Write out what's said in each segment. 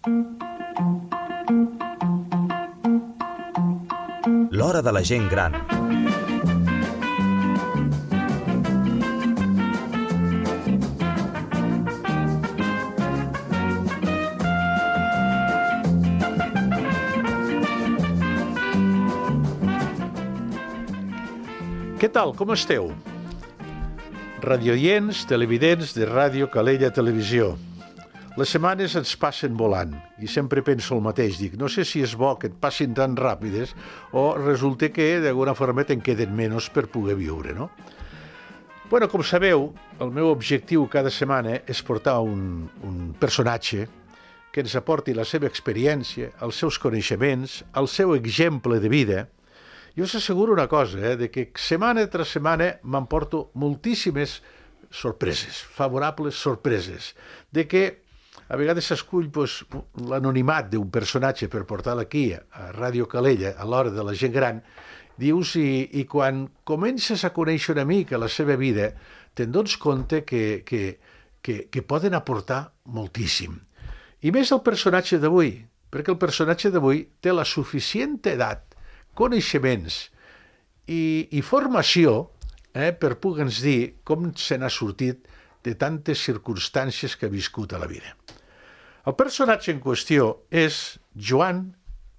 L'hora de la gent gran. Què tal, com esteu? Radioients, televidents de Ràdio Calella Televisió. Les setmanes ens passen volant i sempre penso el mateix. Dic, no sé si és bo que et passin tan ràpides o resulta que d'alguna forma te'n queden menys per poder viure, no? Bueno, com sabeu, el meu objectiu cada setmana és portar un personatge que ens aporti la seva experiència, els seus coneixements, el seu exemple de vida. Jo us asseguro una cosa, de que setmana tras setmana m'emporto moltíssimes sorpreses, favorables sorpreses, de que a vegades s'escull l'anonimat d'un personatge per portar-lo aquí, a Ràdio Calella, a l'hora de la gent gran, dius, i quan comences a conèixer una mica la seva vida, te'n dones compte que poden aportar moltíssim. I més el personatge d'avui, perquè el personatge d'avui té la suficient edat, coneixements i formació per poder-nos dir com se n'ha sortit de tantes circumstàncies que ha viscut a la vida. El personatge en qüestió és Joan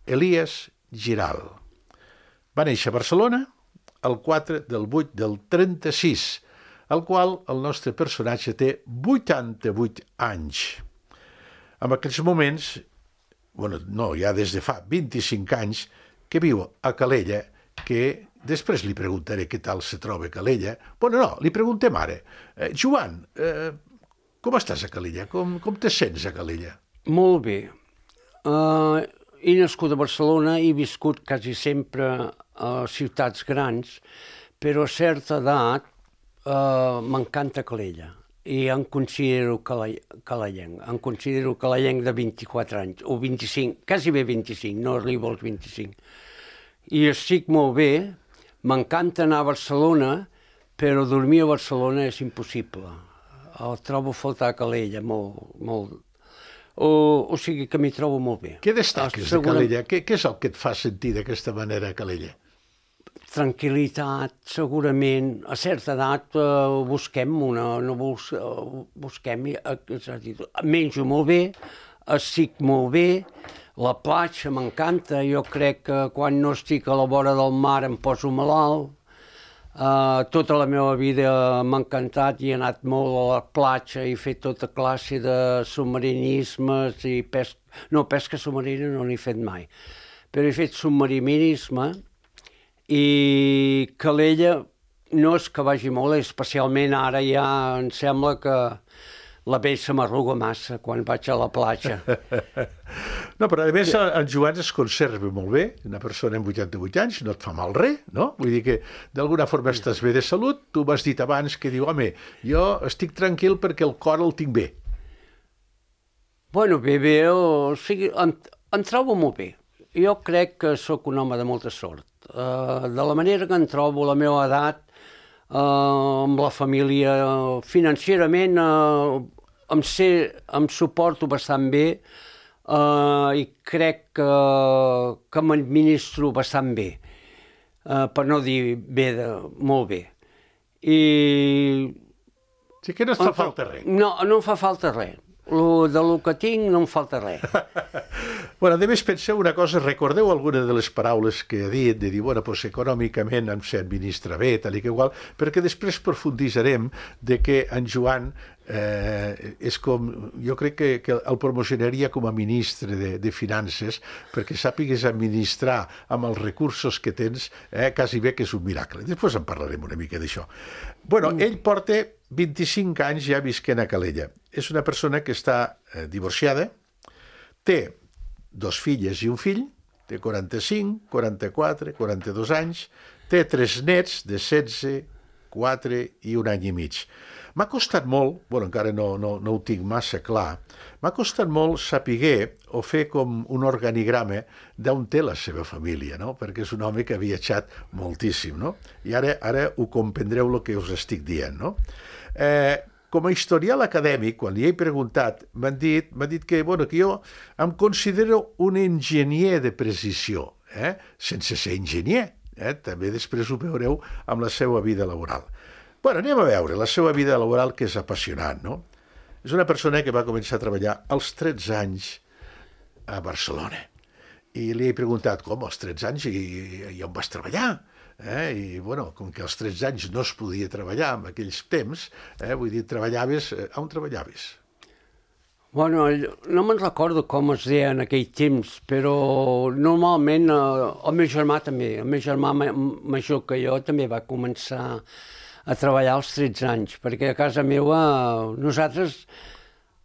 Elias Giral. Va néixer a Barcelona el 4 del 8 del 36, al qual el nostre personatge té 88 anys. En aquells moments, ja des de fa 25 anys, que viu a Calella, que després li preguntaré què tal se troba a Calella. Li preguntem ara. Joan, com estàs a Calella? Com te sents a Calella? Molt bé. He nascut a Barcelona i he viscut quasi sempre a ciutats grans, però a certa edat m'encanta Calella i em considero calellenc. Em considero calellenc de 24 anys, o 25, quasi bé 25, no arribo als 25. I estic molt bé, m'encanta anar a Barcelona, però dormir a Barcelona és impossible. El trobo a faltar a Calella, molt. O sigui que m'hi trobo molt bé. Què destaques de Calella? Què és el que et fa sentir d'aquesta manera a Calella? Tranquil·litat, segurament. A certa edat busquem és a dir, menjo molt bé, estic molt bé, la platja m'encanta, jo crec que quan no estic a la vora del mar em poso malalt. Tota la meva vida m'ha encantat i he anat molt a la platja i he fet tota classe de submarinismes i pesca submarina no n'he fet mai, però he fet submarinisme. I Calella no és que vagi molt, especialment ara ja em sembla que la pell se m'arruga massa quan vaig a la platja. No, però a més el Joan es conserva molt bé, una persona amb 88 anys, no et fa mal res, no? Vull dir que d'alguna forma estàs bé de salut, tu m'has dit abans que diu, home, jo estic tranquil perquè el cor el tinc bé. Bueno, bé, o sigui, em trobo molt bé. Jo crec que sóc un home de molta sort. De la manera que em trobo, la meva edat, amb la família, financerament em suporto bastant bé i crec que m'administro bastant bé, per no dir bé, molt bé. Sí que no et fa falta res. No em fa falta res. De lo que tinc no em falta res. A més, penseu una cosa, recordeu alguna de les paraules que ha dit, de dir, econòmicament em se administra bé, tal i que igual, perquè després profunditzarem de que en Joan és com, jo crec que el promocionaria com a ministre de Finances, perquè sàpigues administrar amb els recursos que tens, quasi bé que és un miracle. Després en parlarem una mica d'això. Ell porta 25 anys ja visquent a Calella. És una persona que està divorciada, té 2 filles i un fill, té 45, 44, 42 anys, té 3 nets de 16, 4 i 1 any i mig. M'ha costat molt, encara no ho tinc massa clar, m'ha costat molt saber o fer com un organigrama d'on té la seva família, no? Perquè és un home que ha viatjat moltíssim, no? I ara ho comprendreu el que us estic dient, no? com a historial acadèmic, quan li he preguntat, m'ha dit que, bueno, que jo em considero un enginyer de precisió, sense ser enginyer. També després ho veureu amb la seva vida laboral. Bueno, anem a veure la seva vida laboral, que és apassionant, no? És una persona que va començar a treballar als 13 anys a Barcelona. I li he preguntat, com, als 13 anys i on vas treballar? I, bueno, com que als 13 anys no es podia treballar en aquells temps, vull dir, treballaves... On treballaves? Bueno, no me'n recordo com es deia en aquell temps, però normalment el meu germà també, el meu germà major que jo també va començar a treballar als 13 anys, perquè a casa meva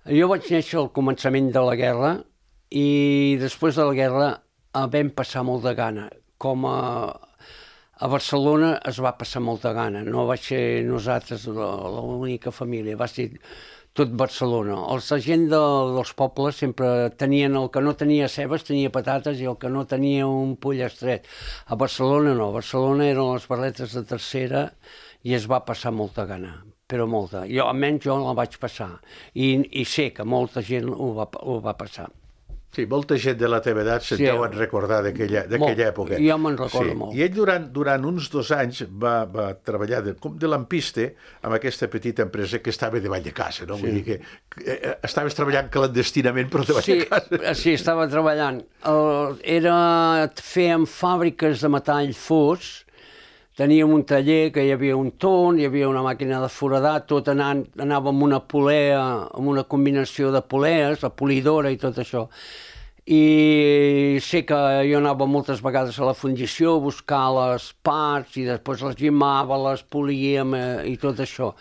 jo vaig néixer al començament de la guerra i després de la guerra vam passar molt de gana. Com a Barcelona es va passar molta gana, no va ser nosaltres l'única família, va ser tot Barcelona. La gent dels pobles sempre tenien, el que no tenia cebes tenia patates i el que no tenia un pollastre. A Barcelona no, a Barcelona eren les barretes de tercera i es va passar molta gana, però molta. Almenys jo la vaig passar i sé que molta gent ho va passar. Sí, molta gent de la teva edat se'n deuen recordar d'aquella època. Jo me'n recordo molt. I ell durant uns 2 anys va treballar com de lampiste amb aquesta petita empresa que estava davall de casa, no? Vull dir que estaves treballant clandestinament però davall de casa. Sí, estava treballant. Fèiem fàbriques de metall fos, teníem un taller que hi havia un torn, hi havia una màquina de foradar, tot anava amb una polea, amb una combinació de polees, la polidora i tot això. I sé que jo anava moltes vegades a la fundició a buscar les parts i després les llimava, les políem i tot això.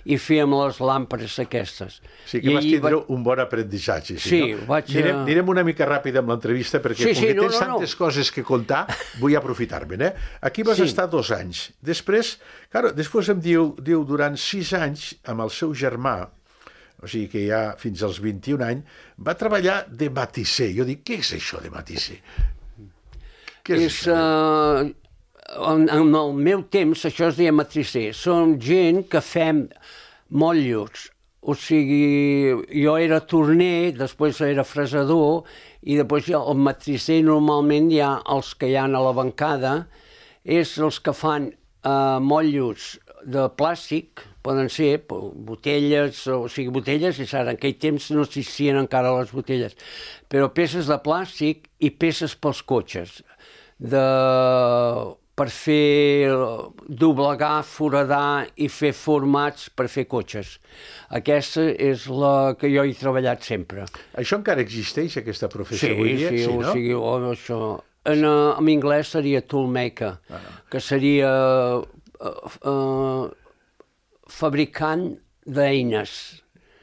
I fèiem les làmperes aquestes. Sí que vas tindre un bon aprenentatge. Sí, vaig... Anirem una mica ràpid amb l'entrevista perquè com que tens tantes coses que contar, vull aprofitar-me'n. Aquí vas estar 2 anys. Després em diu, durant 6 anys amb el seu germà, o sigui que ja fins als 21 anys, va treballar de matisser. Jo dic, què és això de matisser? Què és això? En el meu temps això es deia matrisser. Som gent que fem motllos. O sigui, jo era torner, després era fresador i després el matrisser normalment hi ha els que hi ha a la bancada, és els que fan motllos de plàstic, poden ser botelles, o sigui, botelles, i en aquell temps no existien encara les botelles, però peces de plàstic i peces pels cotxes, per fer doblegar, foradar i fer formats per fer cotxes. Aquesta és la que jo he treballat sempre. Això encara existeix, aquesta professió avui dia? Sí, o sigui, això... En anglès seria toolmaker, que seria fabricant d'eines.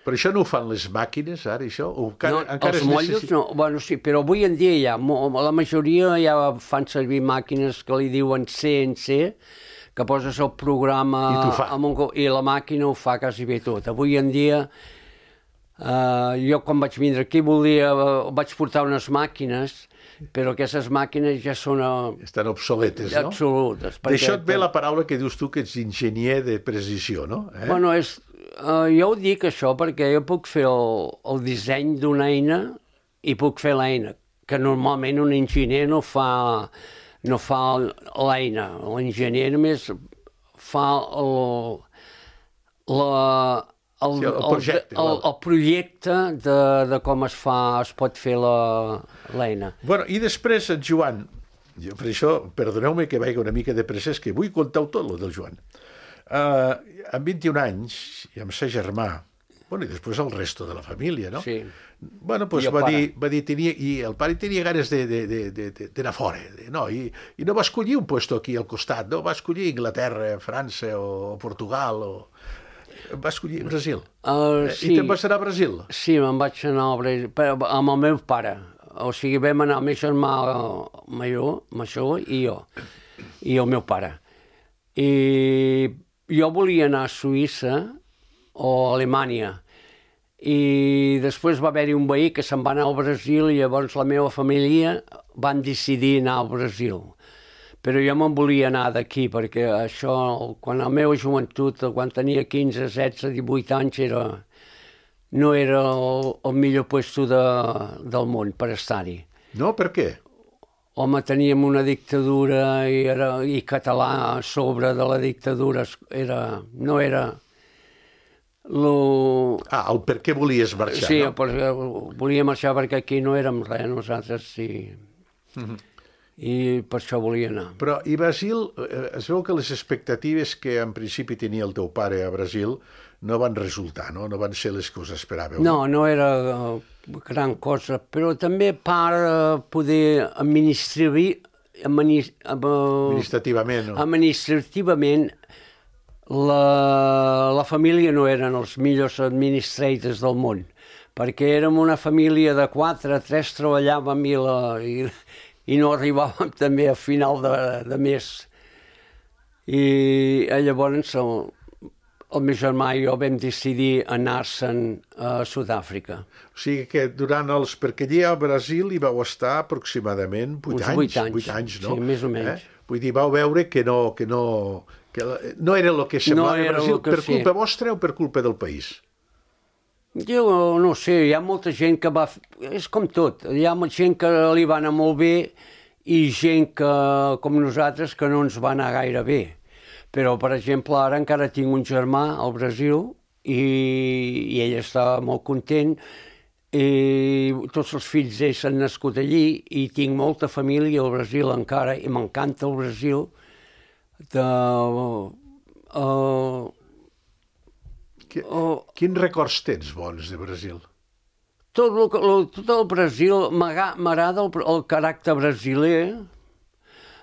Però això no ho fan les màquines, ara, això? Els motllos no. Bueno, sí, però avui en dia ja, la majoria ja fan servir màquines que li diuen CNC, que poses el programa i la màquina ho fa quasi bé tot. Avui en dia, jo quan vaig vindre aquí vaig portar unes màquines, però aquestes màquines ja són... Estan obsoletes, no? Absolutes. D'això et ve la paraula que dius tu, que ets enginyer de precisió, no? Bueno, jo ho dic això perquè jo puc fer el disseny d'una eina i puc fer l'eina, que normalment un enginyer no fa l'eina. L'enginyer només fa el projecte de com es pot fer l'eina. Bueno, i després en Joan, per això, perdoneu-me que vagi una mica de pressa, és que vull contar-ho tot, el del Joan. Amb 21 anys, i amb sa germà, bueno, i després el resto de la família, no? Sí. Bueno, doncs va dir, i el pare tenia ganes d'anar fora, no? I no va escollir un lloc aquí al costat, no? Va escollir Inglaterra, França o Portugal o... Va escollir Brasil. Sí. I te'n vas anar a Brasil? Sí, me'n vaig anar a Brasil, amb el meu pare. O sigui, vam anar el meu germà major i jo, i el meu pare. I jo volia anar a Suïssa o a Alemanya, i després va haver-hi un veí que se'n va anar al Brasil i llavors la meva família van decidir anar al Brasil. Però jo me'n volia anar d'aquí, perquè això, quan la meva joventut, quan tenia 15, 16, 18 anys, no era el millor puesto del món per estar-hi. No? Per què? Home, teníem una dictadura i català a sobre de la dictadura no era... El per què volies marxar, sí, no? perquè volia marxar perquè aquí no érem res, nosaltres sí. I per això volia anar. Però, i Brasil, es veu que les expectatives que en principi tenia el teu pare a Brasil no van resultar, no? No van ser les que us esperàveu. No era gran cosa, però també per poder Administrativament, no? Administrativament, la família no eren els millors administrators del món, perquè érem una família de 4, 3 treballàvem i no arribàvem també a final de mes. I llavors el meu germà i jo vam decidir anar-se'n a Sud-àfrica. O sigui que durant perquè allà a Brasil hi vau estar aproximadament 8 anys. 8 anys, no? Sí, més o menys. Vull dir, vau veure que no era el que semblava a Brasil per culpa vostra o per culpa del país? Jo no sé, hi ha molta gent que va... És com tot, hi ha gent que li va anar molt bé i gent que, com nosaltres, que no ens va anar gaire bé. Però, per exemple, ara encara tinc un germà al Brasil i ell està molt content i tots els fills d'ells s'han nascut allí i tinc molta família al Brasil encara i m'encanta el Brasil. Quins records tens bons de Brasil? Tot el Brasil, m'agrada el caràcter brasiler,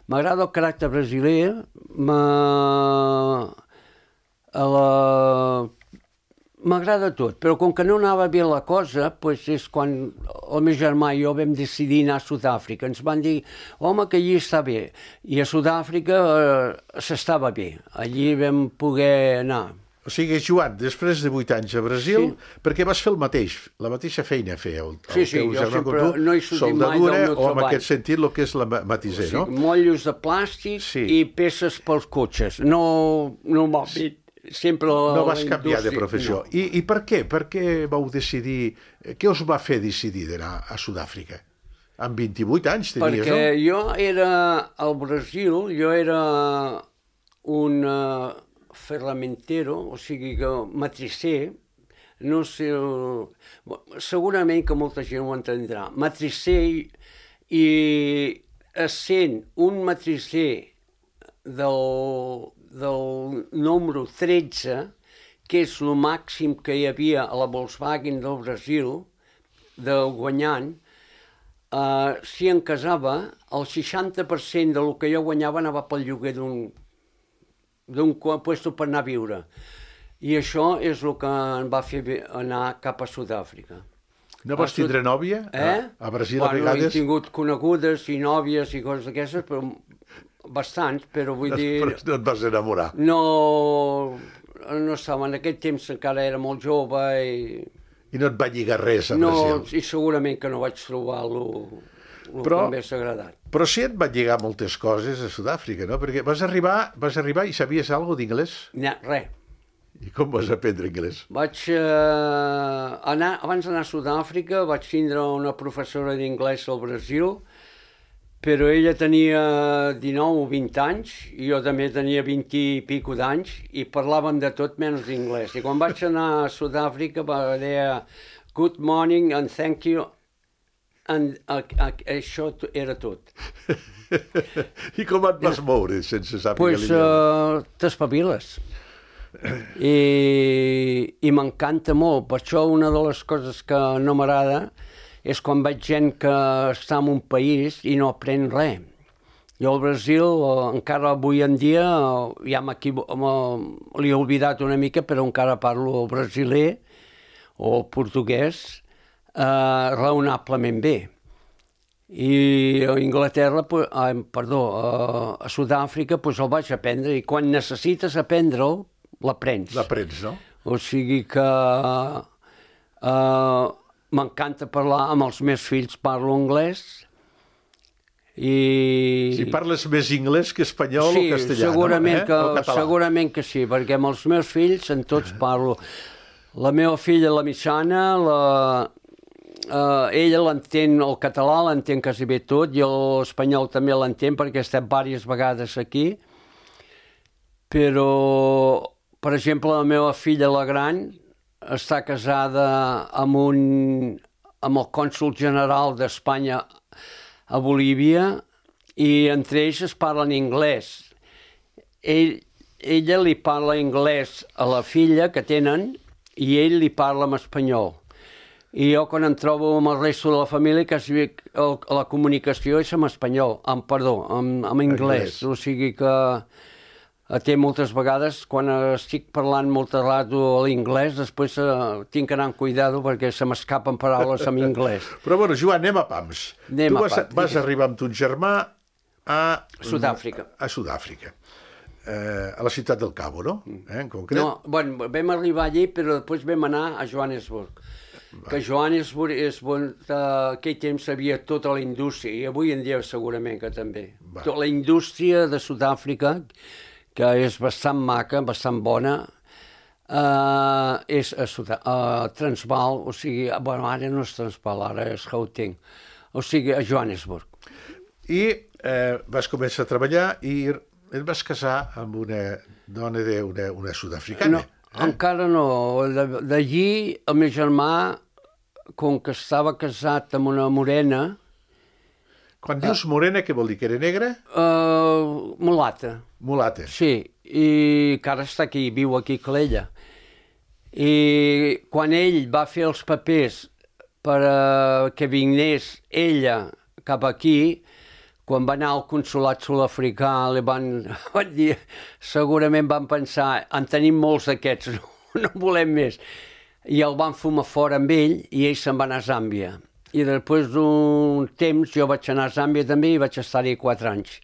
m'agrada tot, però com que no anava bé la cosa, doncs és quan el meu germà i jo vam decidir anar a Sud-àfrica. Ens van dir, home, que allí està bé. I a Sud-àfrica s'estava bé. Allí vam poder anar. O sigui, Joan, després de 8 anys a Brasil, perquè vas fer la mateixa feina fèieu. Sí, jo sempre no he sortit mai del meu treball. O en aquest sentit, el que és la matisser, no? Motllos de plàstic i peces pels cotxes. No sempre no vas canviar de professió. I per què? Per què vau decidir... Què us va fer decidir d'anar a Sud-àfrica? Amb 28 anys tenies, no? Perquè jo era al Brasil, jo era un ferramentero, o sigui que matricer, no sé, segurament que molta gent ho entendrà. Matricer i essent un matricer del número 13, que és el màxim que hi havia a la Volkswagen del Brasil, de guanyant, si em casava, el 60% del que jo guanyava anava pel lloguer d'un puesto per anar a viure. I això és el que em va fer anar cap a Sud-àfrica. No vas tindre nòvia? A Brasil a vegades? He tingut conegudes i nòvies i coses d'aquestes, però bastants, però vull dir... Però no et vas enamorar? No estava, en aquell temps encara era molt jove i... I no et va lligar res a Brasil? No, i segurament que no vaig trobar el que m'hagués agradat. Però sí et van lligar moltes coses a Sud-àfrica, no? Perquè vas arribar i sabies alguna d'inglès? No, res. I com vas aprendre anglès? Abans d'anar a Sud-àfrica vaig tindre una professora d'inglès al Brasil, però ella tenia 19 o 20 anys, i jo també tenia 20 i pico d'anys, i parlàvem de tot menys d'inglès. I quan vaig anar a Sud-àfrica va dir good morning and thank you, això era tot. I com et vas moure sense saber l'idioma? T'espaviles. I m'encanta molt. Per això una de les coses que no m'agrada és quan veig gent que està en un país i no aprèn res. Jo al Brasil, encara avui en dia, ja l'he oblidat una mica, però encara parlo el brasiler o el portuguès raonablement bé. I a Anglaterra, a Sud-àfrica, el vaig aprendre, i quan necessites aprendre'l, l'aprens. L'aprens, no? O sigui que m'encanta parlar amb els meus fills, parlo anglès, Si parles més anglès que espanyol o castellà, segurament, o català. segurament que sí, perquè amb els meus fills en tots parlo. La meva filla, la mitjana, ella l'entén, el català l'entén quasi bé tot, i l'espanyol també l'entén perquè he estat diverses vegades aquí. Però, per exemple, la meva filla, la gran, està casada amb el cònsol general d'Espanya a Bolívia, i entre ells es parlen anglès. Ella li parla anglès a la filla que tenen i ell li parla en espanyol. I jo, quan em trobo amb el resto de la família, la comunicació és en espanyol, en anglès. O sigui que té moltes vegades, quan estic parlant molt rato a l'inglès, després tinc que anar amb cuidado perquè se m'escapen paraules en anglès. Però bueno, Joan, anem a pams. Tu vas arribar amb ton germà a Sud-àfrica. A Sud-àfrica. A la ciutat del Cabo, no? En concret? No, bueno, vam arribar allí, però després vam anar a Johannesburg. Que Johannesburg és aquell temps havia tota la indústria, i avui en dia segurament que també. Tota la indústria de Sud-àfrica, que és bastant maca, bastant bona, és a Transvaal, o sigui, bueno, ara no és Transvaal, ara és Gauteng, o sigui, a Johannesburg. I vas començar a treballar i et vas casar amb una dona una sud-africana. No, encara no. D'allí el meu germà, com que estava casat amb una morena... Quan dius morena, què vol dir? Que era negra? Mulata. Mulata. Sí, i que ara està aquí, viu aquí a Calella. I quan ell va fer els papers per que vingués ella cap aquí, quan va anar al consolat sud-africà, li van dir, segurament van pensar, en tenim molts d'aquests, no volem més. I el van fumar fora amb ell i ell se'n va anar a Zàmbia. I després d'un temps jo vaig anar a Zàmbia també i vaig estar-hi 4 anys.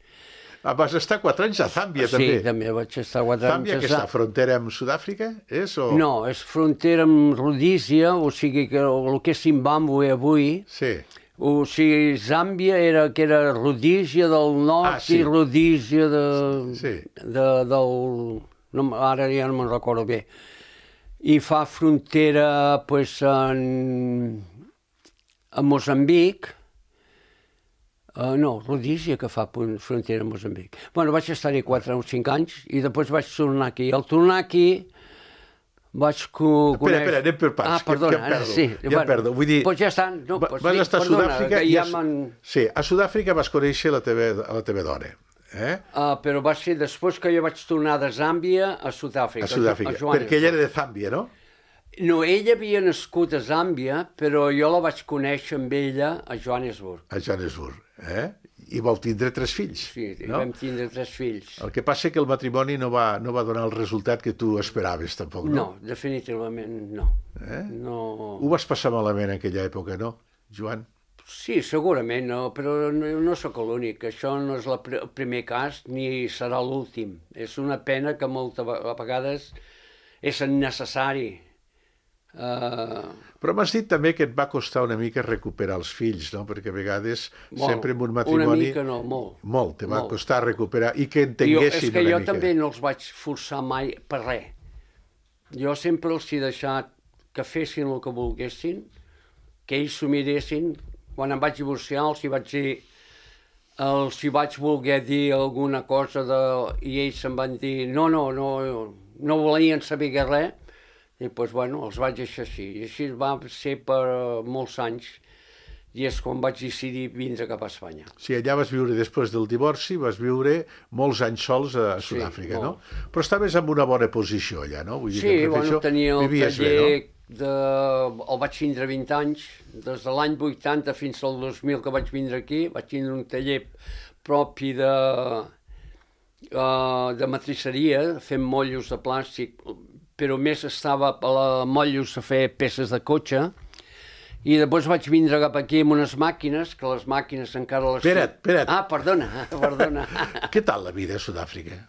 Vas estar 4 anys a Zàmbia, també? Sí, també vaig estar 4 anys. Zàmbia, que està frontera amb Sud-àfrica, és? O... No, és frontera amb Rodísia, o sigui que el que és Zimbàbue avui. Sí. O sigui, Zàmbia era Rodísia del nord i Rodísia del... No, ara ja no me'n recordo bé. I fa frontera, pues, a Moçambic. No, Rodísia, que fa frontera amb Moçambic. Bueno, vaig estar-hi 4 o 5 anys i després vaig tornar aquí. Al tornar aquí vaig conèixer... Espera, anem per parts. Ah, perdona, que em perdo. sí. Ja em perdo. Vull dir... Doncs ja estan. No, vas estar a Sud-àfrica i... Sí, a Sud-àfrica vas conèixer la teva dona. Però va ser després que jo vaig tornar de Zàmbia a Sud-àfrica. A Sud-àfrica, perquè ella era de Zàmbia, no? No, ella havia nascut a Zàmbia, però jo la vaig conèixer amb ella a Johannesburg. A Johannesburg, I vau tindre 3 fills. Sí, vam tindre 3 fills. El que passa és que el matrimoni no va donar el resultat que tu esperaves, tampoc, no? No, definitivament no. No. Ho vas passar malament en aquella època, no, Joan? Sí, segurament, no, però no sóc l'únic. Això no és el primer cas ni serà l'últim. És una pena que moltes vegades és innecessari. Però m'has dit també que et va costar una mica recuperar els fills, no? Perquè a vegades sempre en un matrimoni... Una mica no, molt. Molt, te va costar recuperar i que entenguessin una mica. És que jo també no els vaig forçar mai per res. Jo sempre els he deixat que fessin el que volguessin, que ells s'ho miressin. Quan em vaig divorciar els hi vaig voler dir alguna cosa i ells em van dir no volien saber res. I doncs, bueno, els vaig deixar així. I així va ser per molts anys. I és quan vaig decidir vindre cap a Espanya. Sí, allà vas viure, després del divorci, vas viure molts anys sols a Sud-àfrica, no? Però estaves en una bona posició allà, no? Vull dir sí, bueno, tenia el taller... no? El vaig tindre 20 anys. Des de l'any 80 fins al 2000 que vaig vindre aquí, vaig tindre un taller propi de matriceria, fent motllos de plàstic, però més estava a motllos a fer peces de cotxe, i després vaig vindre cap aquí amb unes màquines, que les màquines encara les... Espera't. Ah, perdona. Què tal la vida a Sud-àfrica?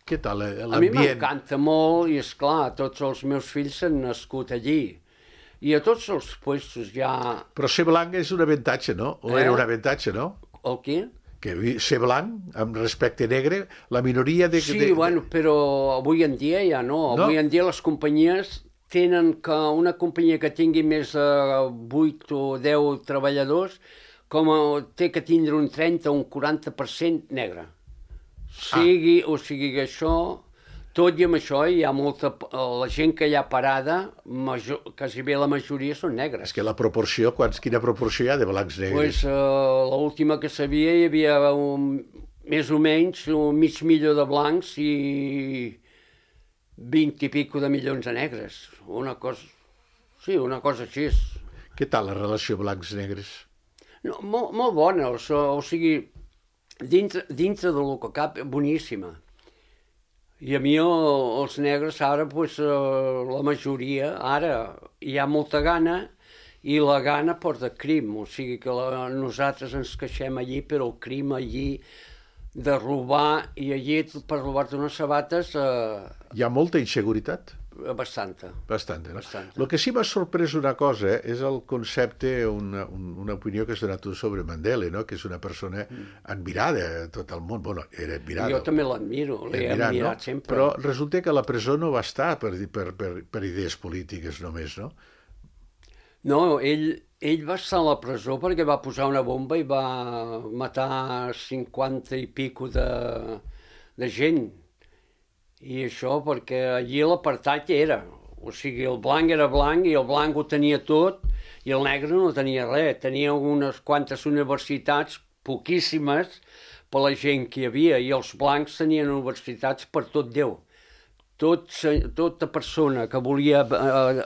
Què tal l'ambient? A mi m'encanta molt, i esclar, tots els meus fills han nascut allí. I a tots els puestos ja... Però ser blanc és un avantatge, no? O era un avantatge, no? El què? que ser blanc amb respecte negre, la minoria de... Sí, bueno, però avui en dia ja no. Avui en dia les companyies tenen que una companyia que tingui més de 8 o 10 treballadors té que tindre un 30 o un 40% negre. O sigui que això, tot i amb això hi ha molta... La gent que hi ha parada, quasi bé la majoria són negres. És que la proporció, quina proporció hi ha de blancs negres? Pues, l'última que sabia hi havia més o menys un mig milió de blancs i 20 i pico de milions de negres. Una cosa així. Què tal la relació blancs-negres? No, molt bona, o sigui, dintre del que cap, boníssima. I a mi els negres ara, pues, la majoria, ara hi ha molta gana i la gana porta crim, o sigui que nosaltres ens queixem allí, però el crim allí de robar, i allí per robar-te unes sabates... Hi ha molta inseguretat? Bastanta. Bastanta, no? El que sí m'ha sorprès una cosa és el concepte, una opinió que has donat tu sobre Mandela, no? Que és una persona admirada a tot el món. Bueno, era admirada. Jo també l'admiro, l'he admirat sempre. Però resulta que a la presó no va estar per idees polítiques només, no? No, ell va estar a la presó perquè va posar una bomba i va matar 50 i pico de gent. I això perquè allí l'apartheid era, o sigui, el blanc era blanc i el blanc ho tenia tot i el negre no tenia res, tenia unes quantes universitats, poquíssimes, per la gent que hi havia, i els blancs tenien universitats per tot Déu. Tota persona que volia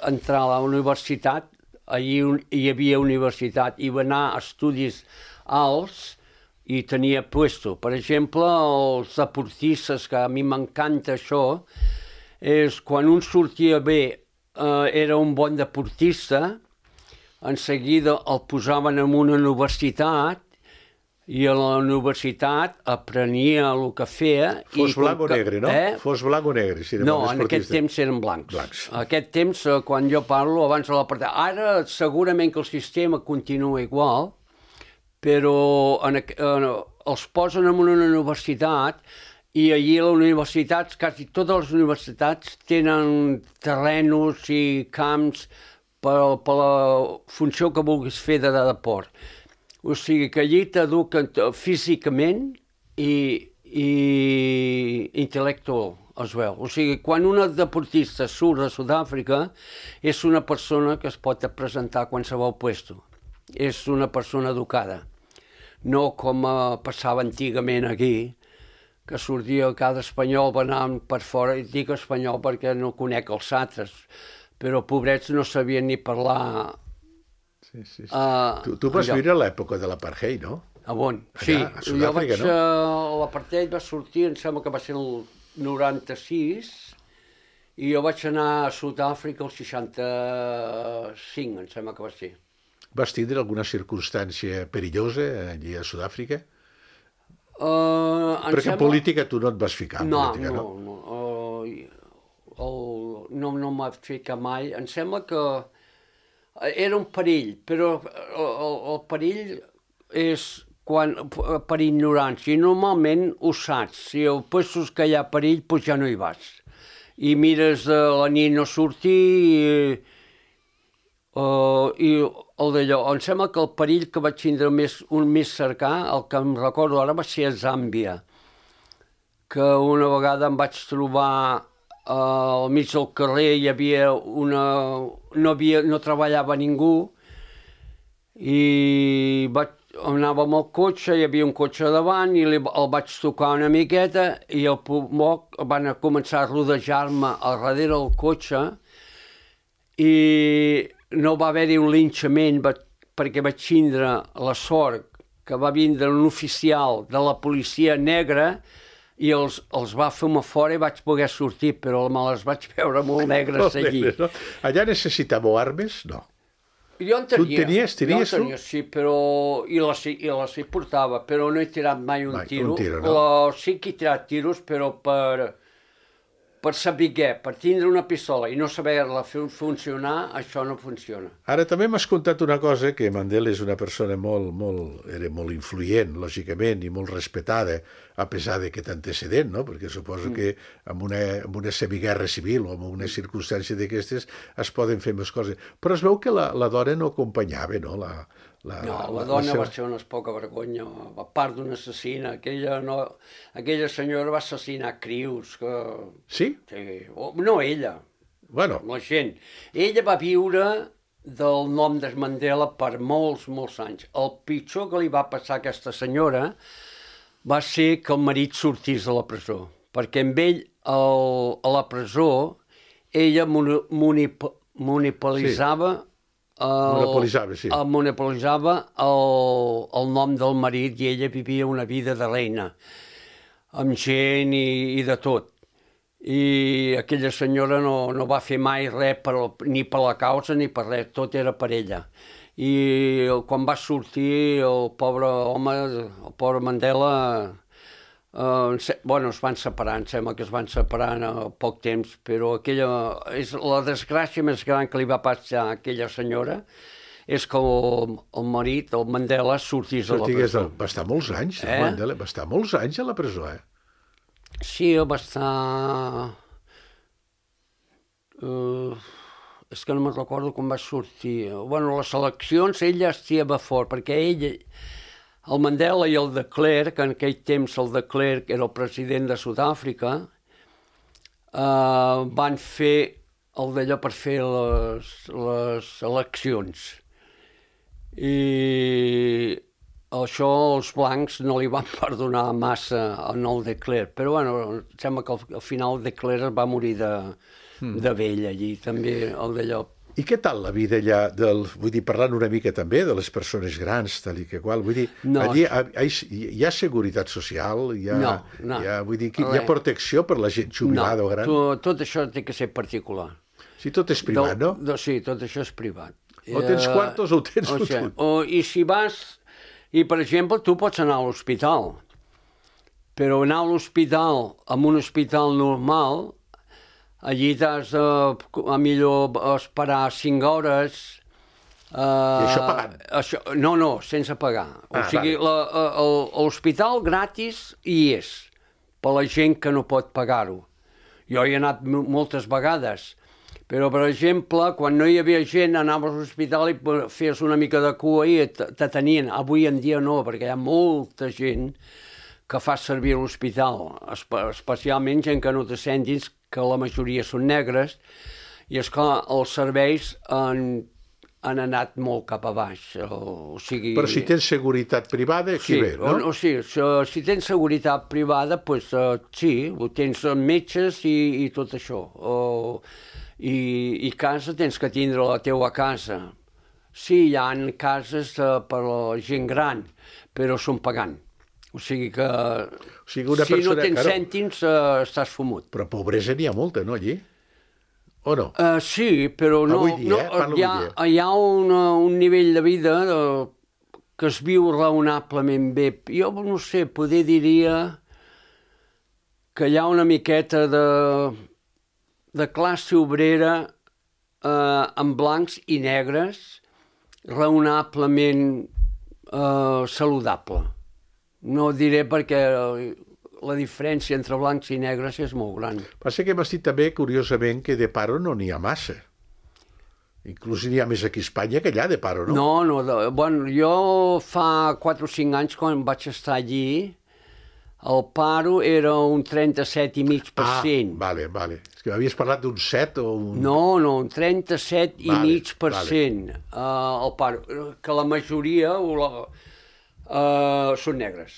entrar a la universitat, allí hi havia universitat, i va anar a estudis alts, i tenia puesto. Per exemple, els deportistes, que a mi m'encanta això, és quan un sortia bé, era un bon deportista, en seguida el posaven en una universitat i a la universitat aprenia el que feia. Fos blanc o negre, no? Fos blanc o negre, si era no, en aquest temps eren blancs. En aquest temps, quan jo parlo, abans de l'apartheid, ara segurament que el sistema continua igual, però els posen en una universitat i allí a les universitats, quasi totes les universitats tenen terrenos i camps per la funció que vulguis fer de deport. O sigui que allí t'eduquen físicament i intel·lectual, es veu. O sigui, quan un deportista surt de Sud-àfrica és una persona que es pot presentar a qualsevol puesto. És una persona educada. No com passava antigament aquí, que sortia cada espanyol venant per fora, i dic espanyol perquè no conec els altres, però pobrets no sabien ni parlar. Sí. Tu vas viure l'època de l'apartheid, no? A on? Sí, jo vaig... L'apartheid va sortir, em sembla que va ser el 96, i jo vaig anar a Sud-àfrica el 65, em sembla que va ser. Vas tindre alguna circumstància perillosa allí a Sud-àfrica? Perquè en política tu no et vas ficar. No em vaig ficar mai. Em sembla que era un perill, però el perill és per ignorància. I normalment ho saps. Si al puestos que hi ha perill, doncs ja no hi vas. I mires a la nit no sortir i el d'allò. Em sembla que el perill que vaig tindre un més cercà, el que em recordo ara, va ser a Zàmbia, que una vegada em vaig trobar al mig del carrer, hi havia no treballava ningú, i anava amb el cotxe, hi havia un cotxe davant, i el vaig tocar una miqueta, i al poc van començar a rodejar-me al darrere del cotxe, i no va haver-hi un linxament perquè vaig tindre la sort que va vindre un oficial de la policia negra i els va fer-me fora i vaig poder sortir, però me les vaig veure molt negres allí. No? Allà necessitàveu armes? No. Jo en tenia. Tu tenies? Jo en tenia, sí, però... I les hi portava, però no he tirat mai un tiro. Un tiro, no? Sí que he tirat tiros, però per per saber què, per tindre una pistola i no saber-la funcionar, això no funciona. Ara també m'has contat una cosa, que Mandela és una persona era molt influent, lògicament, i molt respetada, a pesar de que té antecedent, no? Perquè suposo que amb una semiguerra civil o amb una circumstància d'aquestes es poden fer més coses. Però es veu que la dona no acompanyava, no? La dona va ser una poca vergonya, a part d'una assassina. Aquella senyora va assassinar crius. Sí? Sí. No ella, Bueno. la gent. Ella va viure del nom de Mandela per molts, molts anys. El pitjor que li va passar a aquesta senyora va ser que el marit sortís de la presó, perquè amb ell a la presó ella monopolitzava monopolitzava el nom del marit i ella vivia una vida de reina, amb gent i de tot. I aquella senyora no va fer mai res ni per la causa ni per res, tot era per ella. I quan va sortir el pobre home, el pobre Mandela, es van separar, em sembla que es van separar en poc temps, però aquella és la desgràcia més gran que li va passar a aquella senyora, és que el marit, el Mandela, sortís de la presó. Va estar molts anys, Mandela, va estar molts anys a la presó, eh? Sí, va estar... és que no me'n recordo com va sortir. Bueno, les eleccions ell ja estava fort, perquè ell, el Mandela i el de Klerk, en aquell temps el de Klerk era el president de Sud-àfrica, van fer el d'allò per fer les eleccions. I això els blancs no li van perdonar massa en el de Klerk, però bueno, em sembla que al final el de Klerk va morir de vell allí, també el d'allò. I què tal la vida allà, vull dir, parlant una mica també de les persones grans, tal i que qual, vull dir, allí hi ha seguretat social, hi ha protecció per la gent jubilada o gran? Tot això té que ser particular. Si tot és privat, no? Sí, tot això és privat. O tens quartos o ho tens fotut. I si vas... I, per exemple, tu pots anar a l'hospital, però anar a l'hospital, en un hospital normal, allí t'has a millor esperar 5 hores... I això pagant? No, sense pagar. O sigui, l'hospital gratis hi és, per la gent que no pot pagar-ho. Jo hi he anat moltes vegades, però, per exemple, quan no hi havia gent, anaves a l'hospital i feies una mica de cua i t'atenien. Avui en dia no, perquè hi ha molta gent que fa servir l'hospital, especialment gent que no té cèntims, que la majoria són negres, i, esclar, els serveis han anat molt cap a baix. Però si tens seguretat privada, aquí ve, no? Sí, si tens seguretat privada, doncs sí, tens metges i tot això. I casa tens que tindre la teua casa. Sí, hi ha cases per a la gent gran, però són pagant. O sigui que si no tens cèntims estàs fumut. Però pobresa n'hi ha molta, no, allí? O no? Sí, però no. Avui dia, hi ha un nivell de vida que es viu raonablement bé. Jo no sé, poder diria que hi ha una miqueta de classe obrera amb blancs i negres raonablement saludable. No diré perquè la diferència entre blancs i negres és molt gran. Passa que m'has dit també, curiosament, que de paro no n'hi ha massa. Inclús n'hi ha més aquí a Espanya que allà de paro, no? No, bueno, jo fa 4 o 5 anys, quan vaig estar allí, el paro era un 37,5%. Vale. És que m'havies parlat d'un 7 o un... No, un 37,5%. El paro, que la majoria són negres.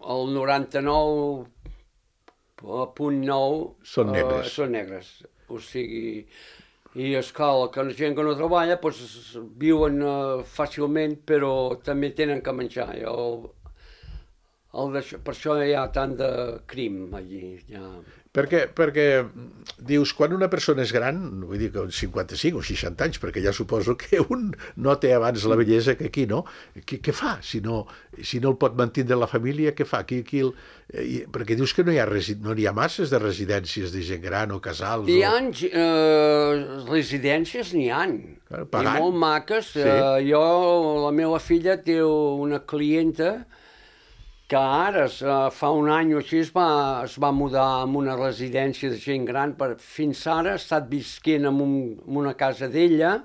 El 99,9% són negres. O sigui, i escala, que la gent que no treballa viuen fàcilment, però també tenen que menjar. Per això hi ha tant de crim allí. Ja. Perquè dius, quan una persona és gran, vull dir que 55 o 60 anys, perquè ja suposo que un no té abans la bellesa que aquí, no? Què fa? Si no el pot mantenir la família, què fa? Perquè dius que no hi ha masses de residències de gent gran o casals. Hi ha residències, n'hi ha. I molt maques. Sí. La meva filla té una clienta que ara, fa un any o així, es va mudar a una residència de gent gran. Fins ara ha estat visquent en una casa d'ella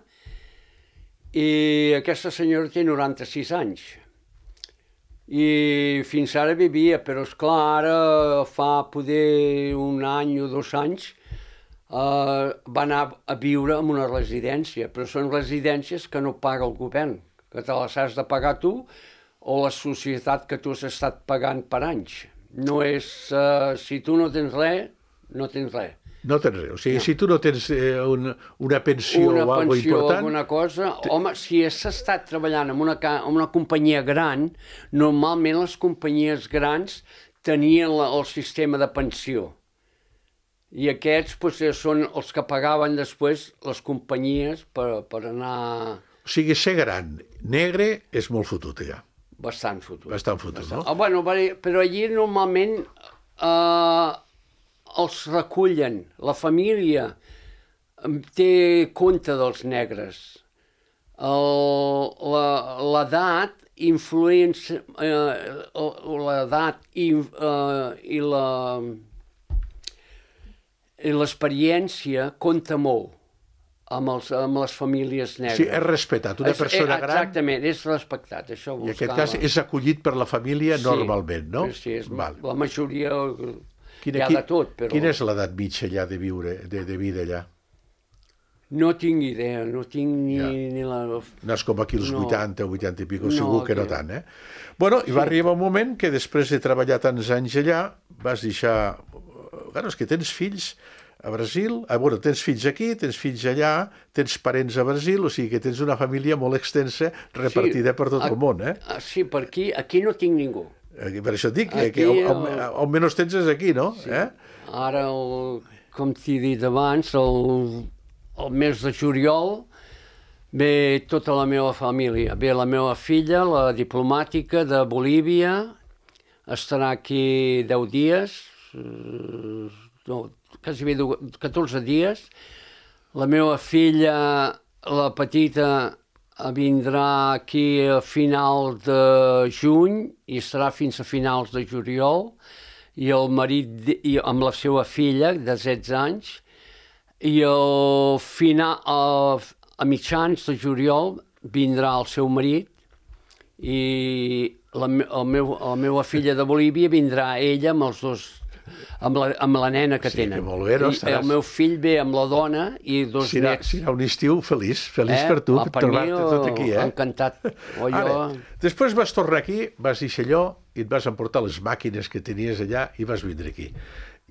i aquesta senyora té 96 anys. I fins ara vivia, però esclar, ara fa poder un any o 2 anys va anar a viure en una residència, però són residències que no paga el govern, que te les has de pagar tu, o la societat que tu has estat pagant per anys. No és... si tu no tens res, no tens res. No tens res. O sigui, si tu no tens una pensió o alguna cosa important... Alguna cosa... Home, si has estat treballant en una companyia gran, normalment les companyies grans tenien el sistema de pensió. I aquests són els que pagaven després les companyies per anar... O sigui, ser gran, negre, és molt fotut, allà. Bastant fotut. Bastant fotut, no? Bueno, però allí normalment els recullen. La família té compte dels negres. L'edat influència... L'edat i l'experiència compta molt amb les famílies negres. Sí, és respetat. Una persona gran... Exactament, és respectat. Això I en aquest cas és acollit per la família normalment, no? Sí, la majoria hi ha de tot, però... Quina és l'edat mitja allà de viure, de vida allà? No tinc idea, no tinc ni la... No és com aquí els 80 o 80 i pico, segur que no tant, eh? Bueno, i va arribar un moment que després de treballar tants anys allà vas deixar... Clar, és que tens fills a Brasil, tens fills aquí, tens fills allà, tens parents a Brasil, o sigui que tens una família molt extensa repartida per tot el món, eh? Sí, per aquí no tinc ningú. Per això et dic, que on menys tens és aquí, no? Sí. Ara, com t'he dit abans, el mes de juliol ve tota la meva família. Ve la meva filla, la diplomàtica de Bolívia, estarà aquí 10 dies, quasi bé 14 dies. La meva filla, la petita, vindrà aquí a final de juny i estarà fins a finals de juliol, i el marit amb la seva filla de 16 anys, i a mitjans de juliol vindrà el seu marit, i la meva filla de Bolívia vindrà ella amb els dos, amb la nena que tenen. Molt bé, no? El meu fill ve amb la dona i 2 nets. Serà un estiu feliç per tu, trobar-te tot aquí, eh? Encantat. Després vas tornar aquí, vas deixar allò i et vas emportar les màquines que tenies allà i vas vindre aquí.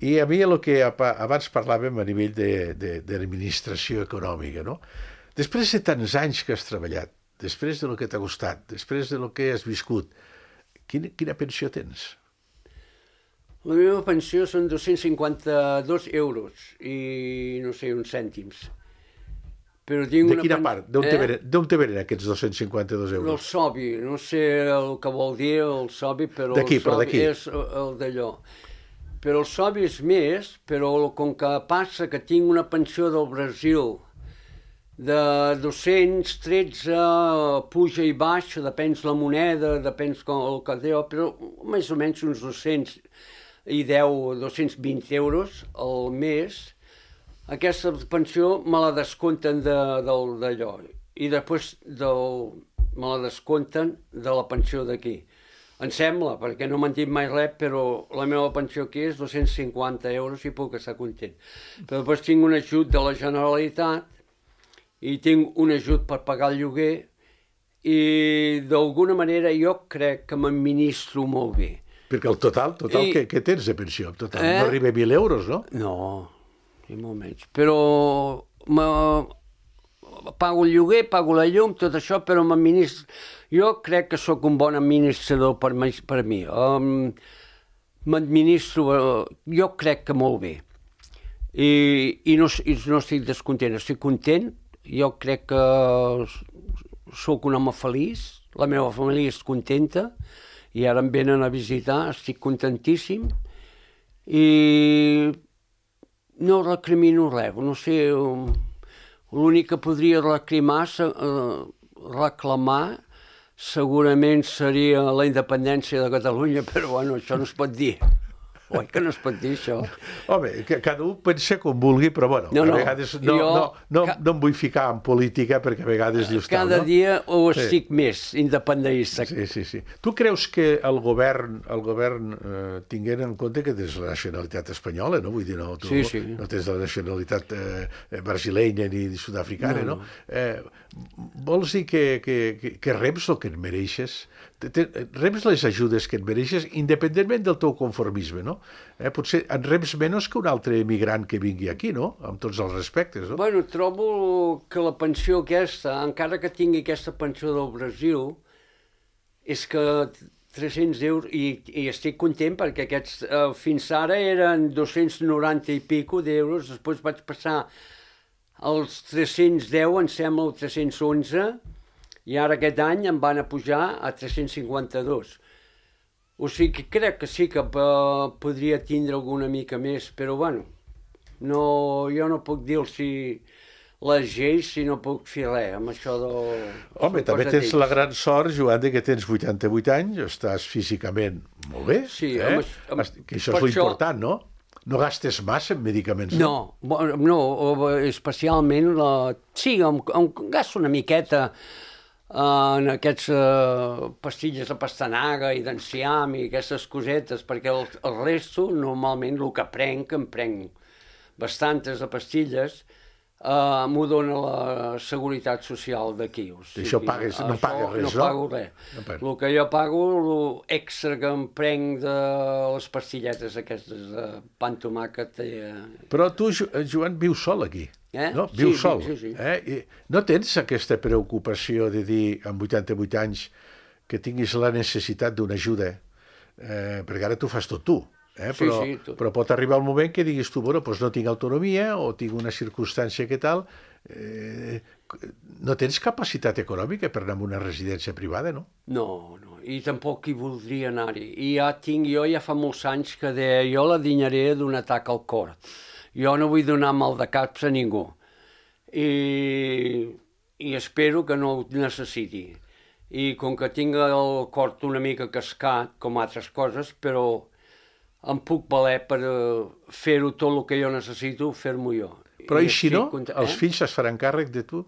I a mi el que abans parlàvem a nivell d'administració econòmica, no? Després de tants anys que has treballat, després del que t'ha costat, després del que has viscut, quina pensió tens? La meva pensió són 252 euros i, no sé, uns cèntims. Però tinc de quina part? D'on te venen aquests 252 euros? El SOBI, no sé el que vol dir el SOBI, però el SOBI és el d'allò. Però el SOBI és més, però com que passa que tinc una pensió del Brasil de 213, puja i baixa, depèn la moneda, depèn el que deu, però més o menys uns 220 euros al mes. Aquesta pensió me la descompten d'allò i després me la descompten de la pensió d'aquí. Em sembla, perquè no m'han dit mai res, però la meva pensió aquí és 250 euros i puc estar content. Però després tinc un ajut de la Generalitat i tinc un ajut per pagar el lloguer i d'alguna manera jo crec que m'administro molt bé. Perquè el total, què tens de pensió? No arriba a 1.000 euros, no? No, ni molt menys. Però pago el lloguer, pago la llum, tot això, però jo crec que sóc un bon administrador per mi. M'administro, jo crec que molt bé. I no estic descontent, estic content. Jo crec que sóc un home feliç, la meva família és contenta, i ara em venen a visitar, estic contentíssim, i no recrimino res, no sé, l'únic que podria reclamar segurament seria la independència de Catalunya, però bueno, això no es pot dir. Oi que no es pot dir, això? Home, que cada un pensa com vulgui, però bueno, a vegades no em vull ficar en política perquè a vegades dius tal, no? Cada dia ho estic més independentista. Sí. Tu creus que el govern tinguent en compte que tens la nacionalitat espanyola, no? Vull dir, no tens la nacionalitat brasilenya ni sud-africana, no? Vols dir que reps el que et mereixes? Reps les ajudes que et mereixes independentment del teu conformisme, no? Potser en reps menys que un altre emigrant que vingui aquí, no? Amb tots els respectes, no? Bueno, trobo que la pensió aquesta, encara que tingui aquesta pensió del Brasil, és que 300 euros, i estic content perquè aquests fins ara eren 290 i pico d'euros, després vaig passar als 310, em sembla, o 311, i ara aquest any em van a pujar a 352. O sigui que crec que sí que podria tindre alguna mica més, però bueno, jo no puc dir-los les lleis si no puc fer res amb això de... Home, també tens la gran sort, Joan, que tens 88 anys, estàs físicament molt bé, que això és l'important, no? No gastes massa en medicaments? No, especialment... Sí, em gasto una miqueta en aquests pastilles de pastanaga i d'enciam i aquestes cosetes, perquè el resto, normalment, el que prenc, em prenc bastantes de pastilles, m'ho dona la Seguretat Social d'aquí. Això no pagues res, no? No pago res. El que jo pago, l'extra que em prenc de les pastilletes aquestes de pa amb tomàquet... Però tu, Joan, vius sol aquí. No? Vius sol. Sí. No tens aquesta preocupació de dir, amb 88 anys, que tinguis la necessitat d'una ajuda? Perquè ara tu fas tot tu. Però pot arribar el moment que diguis tu, bueno, doncs no tinc autonomia o tinc una circumstància que tal... No tens capacitat econòmica per anar a una residència privada, no? No, i tampoc hi voldria anar-hi. I jo ja fa molts anys que deia, jo la dinyaré d'un atac al cor. Jo no vull donar mal de caps a ningú. I espero que no ho necessiti. I com que tinc el cor una mica cascat, com altres coses, però em puc valer per fer-ho tot el que jo necessito, fer-m'ho jo. Però i si no, els fills es faran càrrec de tu?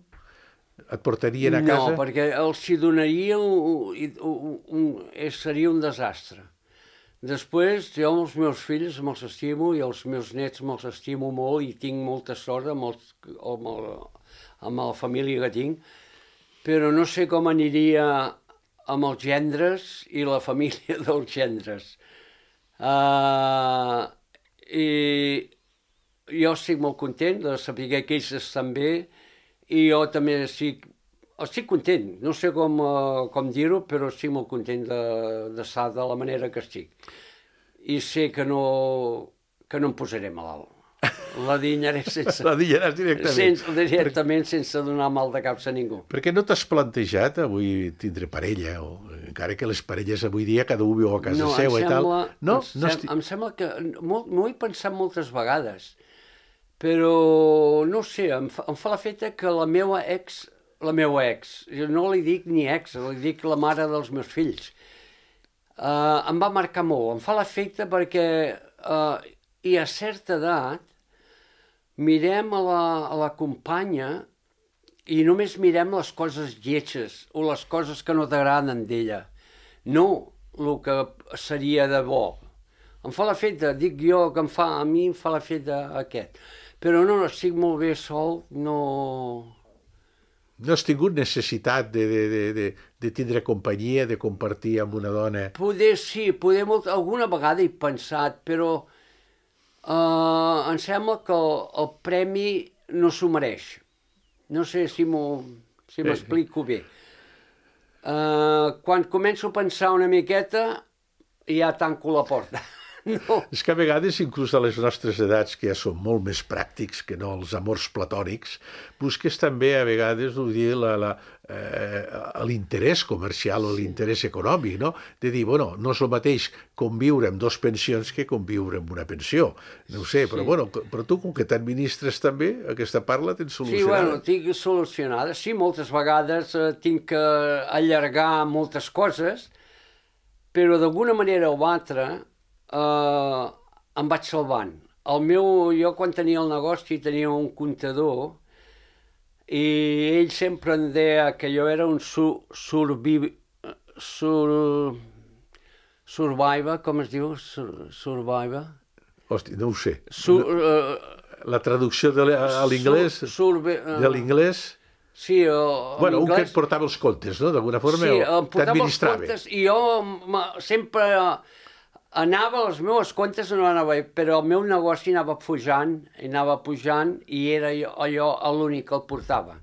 Et portarien a casa? No, perquè els hi donaria... seria un desastre. Després, jo amb els meus fills me'ls estimo i els meus nets me'ls estimo molt i tinc molta sort amb la família que tinc, però no sé com aniria amb els gendres i la família dels gendres. I jo estic molt content de saber que ells estan bé i jo també estic content, no sé com dir-ho, però estic molt content d'estar de la manera que estic. I sé que no em posaré malalt. La dinyaré sense... La dinyaràs directament. Directament, sense donar mal de caps a ningú. Per què no t'has plantejat avui tindre parella? Encara que les parelles avui dia cada un viu a casa seva i tal. Em sembla que... M'ho he pensat moltes vegades, però no sé, em fa l'efecte que la meva ex, jo no li dic ni ex, li dic la mare dels meus fills, em va marcar molt. Em fa l'efecte perquè i a certa edat mirem a la companya i només mirem les coses lletges o les coses que no t'agraden d'ella, no el que seria de bo. Em fa l'efecte, dic jo, que a mi em fa l'efecte aquest. Però no, estic molt bé sol, no... No has tingut necessitat de tindre companyia, de compartir amb una dona? Poder sí, alguna vegada he pensat, però em sembla que el premi no s'ho mereix. No sé si m'explico bé. Quan començo a pensar una miqueta, ja tanco la porta. No. És que a vegades, inclús a les nostres edats, que ja són molt més pràctics que no els amors platònics, busques també a vegades l'interès comercial o l'interès econòmic, no? De dir, bueno, no és el mateix conviure amb 2 pensions que conviure amb una pensió. No ho sé, però, però tu, com que t'administres també, aquesta part la tens solucionada. Sí, tinc solucionada. Sí, moltes vegades tinc que allargar moltes coses, però d'alguna manera o altra em vaig salvant. Jo quan tenia el negoci tenia un comptador i ell sempre em deia que jo era un survivor, com es diu? Survivor? Hosti, no ho sé. La traducció a l'inglès? De l'inglés? Sí, bueno, un que et portava els comptes, no? D'alguna forma, sí, em portava els t'administrava. comptes i jo sempre anava, els meus comptes no anava bé, però el meu negoci anava pujant i era jo l'únic que el portava.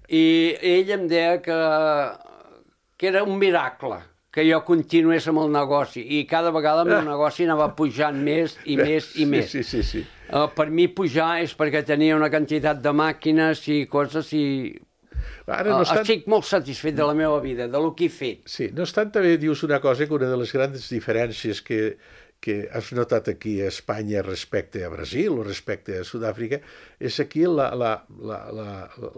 I ell em deia que era un miracle que jo continués amb el negoci i cada vegada el meu negoci anava pujant més i més i més. Sí. Per mi pujar és perquè tenia una quantitat de màquines i coses i estic molt satisfet de la meva vida, de lo que he fet. Sí, no obstant també dius una cosa, que una de les grans diferències que has notat aquí a Espanya respecte a Brasil o respecte a Sud-àfrica és aquí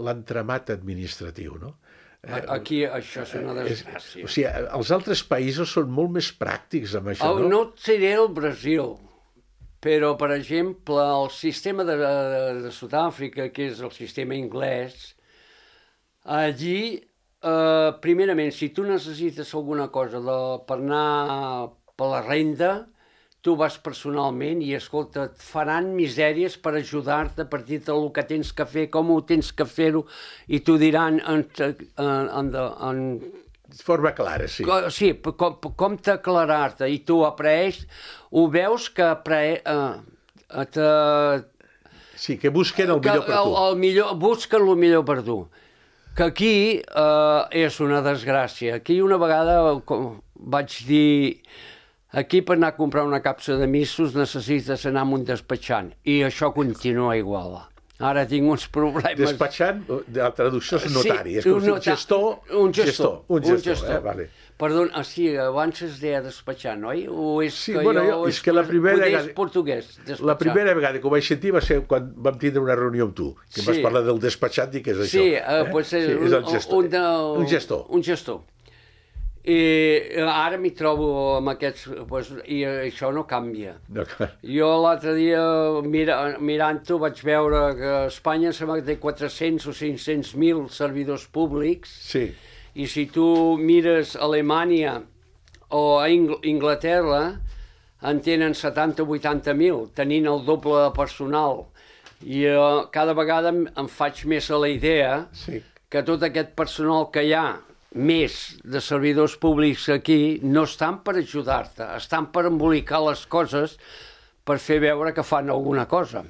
l'entramat administratiu, no? Aquí això és una desgràcia. O sigui, els altres països són molt més pràctics amb això, no? No et diré el Brasil, però, per exemple, el sistema de Sud-àfrica, que és el sistema anglès, allí, primerament, si tu necessites alguna cosa per anar per la renda, tu vas personalment i, escolta, et faran misèries per ajudar-te a partir del que tens que fer, com ho tens que fer-ho, i t'ho diran de forma clara, sí. Sí, com t'aclarar-te, i tu ho veus que sí, que busquen el millor per tu. Busquen el millor per tu. Que aquí és una desgràcia. Aquí una vegada vaig dir, aquí per anar a comprar una capsa de missos necessites anar amb un despatxant, i això continua igual. Ara tinc uns problemes. Despatxant, la traducció és notari, és com un gestor. Un gestor. Vale. Perdona, sí, abans es deia despatxant, oi? O és sí, és que la primera vegada... portuguès, despatxant. La primera vegada que ho vaig sentir va ser quan vam tindre una reunió amb tu, que vas parlar del despatxant i què és això. Sí, pues és el gestor. Un gestor. Un gestor. I ara m'hi trobo amb aquests, i això no canvia. Jo l'altre dia, mirant-ho, vaig veure que a Espanya sembla que té 400 o 500.000 servidors públics, sí. I si tu mires Alemanya o a Inglaterra, en tenen 70 o 80.000, tenint el doble de personal. I cada vegada em faig més a la idea que tot aquest personal que hi ha, més de servidors públics aquí, no estan per ajudar-te, estan per embolicar les coses per fer veure que fan alguna cosa.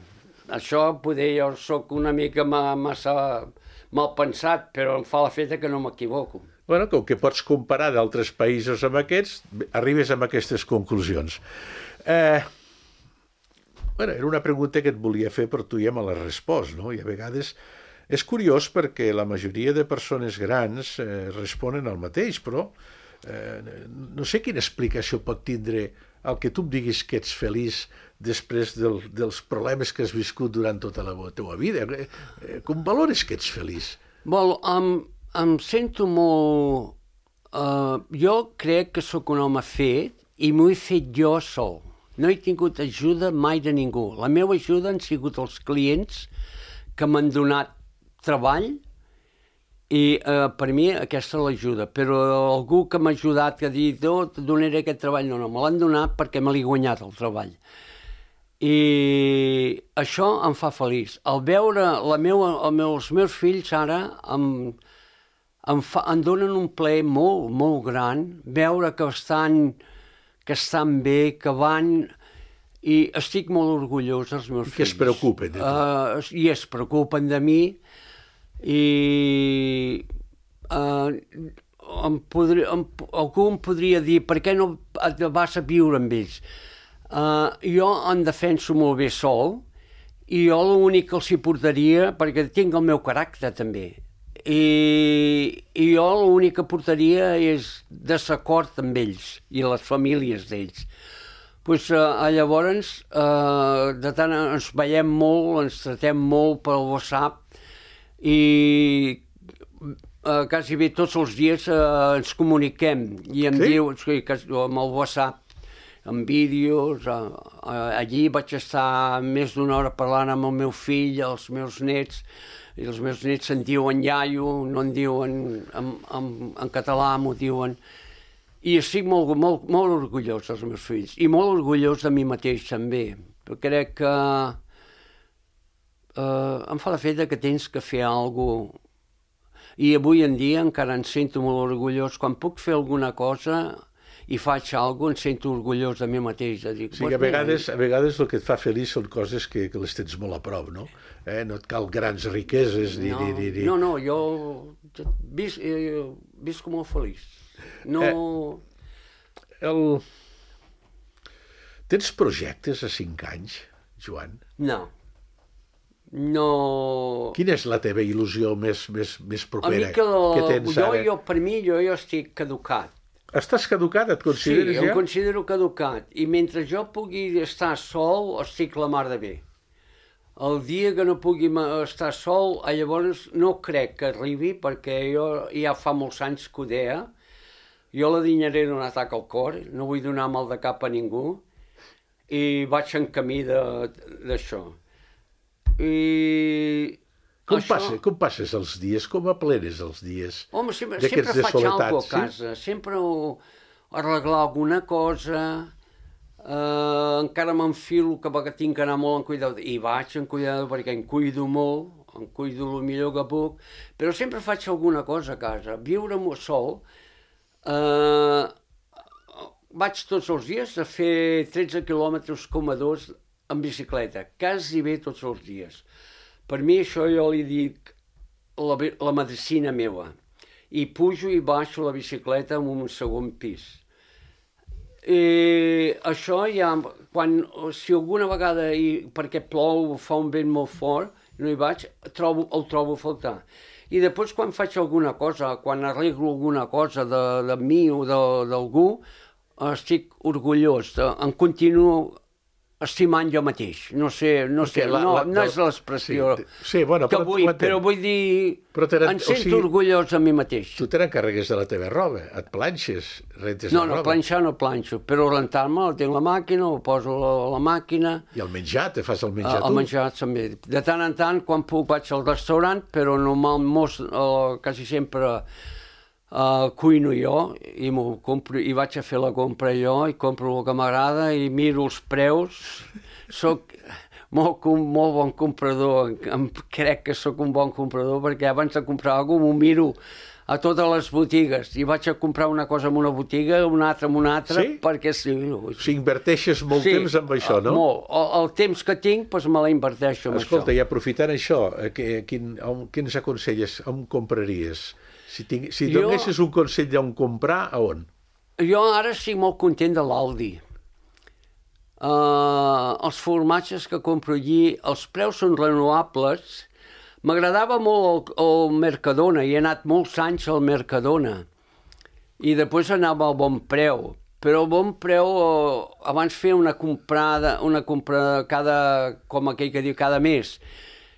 Això, poder, jo soc una mica massa mal pensat, però em fa l'efecte que no m'equivoco. Bueno, com que pots comparar d'altres països amb aquests, arribes a aquestes conclusions. Bueno, era una pregunta que et volia fer, però tu ja me l'has respost, no? I a vegades... És curiós perquè la majoria de persones grans responen al mateix, però no sé quina explicació pot tindre el que tu em diguis que ets feliç després dels problemes que has viscut durant tota la teva vida. Com valores que ets feliç? Em sento molt... Jo crec que sóc un home fet i m'ho he fet jo sol. No he tingut ajuda mai de ningú. La meva ajuda han sigut els clients que m'han donat treball i per mi aquesta és l'ajuda, però algú que m'ha ajudat que ha dit et donaré aquest treball, no, me l'han donat perquè me l'he guanyat el treball, i això em fa feliç. Al veure els meus fills ara em donen un plaer molt, molt gran veure que estan bé, que van... I estic molt orgullós dels meus fills. Que es preocupen de tu. I es preocupen de mi, I algú em podria dir per què no et vas a viure amb ells. Jo em defenso molt bé sol i jo l'únic que els hi portaria, perquè tinc el meu caràcter també, i jo l'únic que portaria és desacord amb ells i les famílies d'ells. Llavors, de tant ens veiem molt, ens tratem molt pel WhatsApp i quasi bé tots els dies ens comuniquem i em diu, amb el WhatsApp, amb vídeos, allí vaig estar més d'una hora parlant amb el meu fill, els meus nets, i els meus nets se'n diuen iaio, no en diuen en català, m'ho diuen. I estic molt orgullós dels meus fills i molt orgullós de mi mateix també. Crec que em fa l'efecte que tens que fer alguna cosa. I avui en dia encara em sento molt orgullós. Quan puc fer alguna cosa i faig alguna cosa, em sento orgullós de mi mateix. Dic, sí, a vegades el que et fa feliç són coses que les tens molt a prop, no? No et cal grans riqueses ni... No, jo visc molt feliç. No... Tens projectes a 5 anys, Joan? No. Quina és la teva il·lusió més propera que tens ara? Per mi, jo estic caducat. Estàs caducat, et consideres ja? Sí, em considero caducat. I mentre jo pugui estar sol, estic la mar de bé. El dia que no pugui estar sol, llavors no crec que arribi, perquè jo ja fa molts anys que ho deia. Jo la dinyaré d'un atac al cor, no vull donar mal de cap a ningú, i vaig en camí d'això. Com passes els dies? Com aplenes els dies? Home, sempre faig alguna cosa a casa, sempre arreglar alguna cosa, encara m'enfilo que tinc que anar molt en cuidado, i vaig en cuidado perquè em cuido molt, em cuido el millor que puc, però sempre faig alguna cosa a casa. Viure sol, vaig tots els dies a fer 13 quilòmetres com a 2 en bicicleta, quasi bé tots els dies. Per mi això jo li dic la medicina meva. I pujo i baixo la bicicleta en un segon pis. I això ja, si alguna vegada, perquè plou, fa un vent molt fort, no hi vaig, el trobo a faltar. I després quan faig alguna cosa, quan arreglo alguna cosa de mi o d'algú, estic orgullós, em continuo estimant jo mateix. No és l'expressió que vull, però vull dir, em sento orgullós de mi mateix. Tu te n'encarregues de la teva roba, et planxes, rentes la roba. No, planxar no planxo, però rentar-me, tinc la màquina, ho poso a la màquina. I el menjar, te fas el menjar tu? El menjar també. De tant en tant, quan puc, vaig al restaurant, però normalment, quasi sempre cuino jo i m'ho compro, i vaig a fer la compra jo i compro el que m'agrada i miro els preus. Soc molt bon comprador, crec que sóc un bon comprador perquè abans de comprar alguna cosa m'ho miro a totes les botigues i vaig a comprar una cosa en una botiga, una altra en una altra, perquè sí. Si inverteixes molt temps amb això, no? Molt. El temps que tinc, doncs me la inverteixo amb això. Escolta, i aprofitant això, què ens aconselles? On compraries? Si donessis un consell d'on comprar, a on? Jo ara estic molt content de l'Aldi. Els formatges que compro allí, els preus són renovables. M'agradava molt el Mercadona, i he anat molts anys al Mercadona. I després anava al Bon Preu. Però al Bon Preu, abans feia una comprada com aquell que diu, cada mes.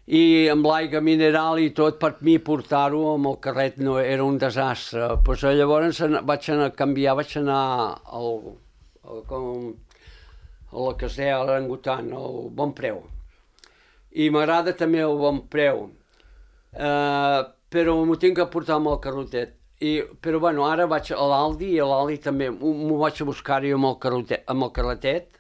I amb l'aigua mineral i tot, per mi portar-ho amb el carret no era un desastre. Pues llavors vaig anar a canviar, vaig anar a la que es deia l'Orangutan, al Bon Preu. I m'agrada també el Bon Preu, però m'ho tinc que portar amb el carrotet. Però bueno, ara vaig a l'Aldi i a l'Aldi també m'ho vaig a buscar-hi amb el carretet.